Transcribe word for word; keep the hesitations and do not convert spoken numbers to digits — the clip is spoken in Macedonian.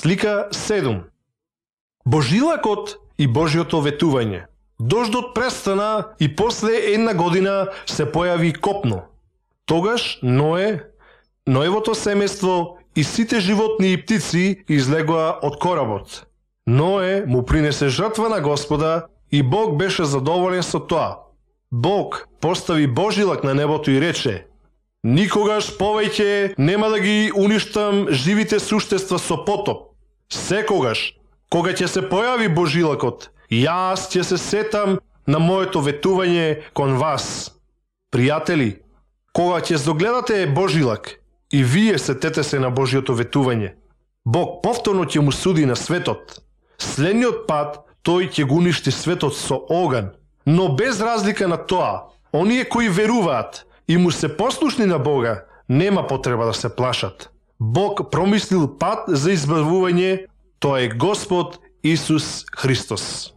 Слика седум. Божилакот и Божјото ветување. Дождот престана и после една година се појави копно. Тогаш Ное, Ноевото семејство и сите животни и птици излегоа од коработ. Ное му принесе жртва на Господа и Бог беше задоволен со тоа. Бог постави божилак на небото и рече: никогаш повеќе нема да ги уништам живите суштества со потоп. Секогаш, кога ќе се појави божилакот, јас ќе се сетам на моето ветување кон вас. Пријатели, кога ќе догледате божилак и вие сетете се на Божјото ветување, Бог повторно ќе му суди на светот. Следниот пат тој ќе го уништи светот со оган. Но без разлика на тоа, оние кои веруваат и му се послушни на Бога, нема потреба да се плашат. Бог промислил пат за избавување, тоа е Господ Исус Христос.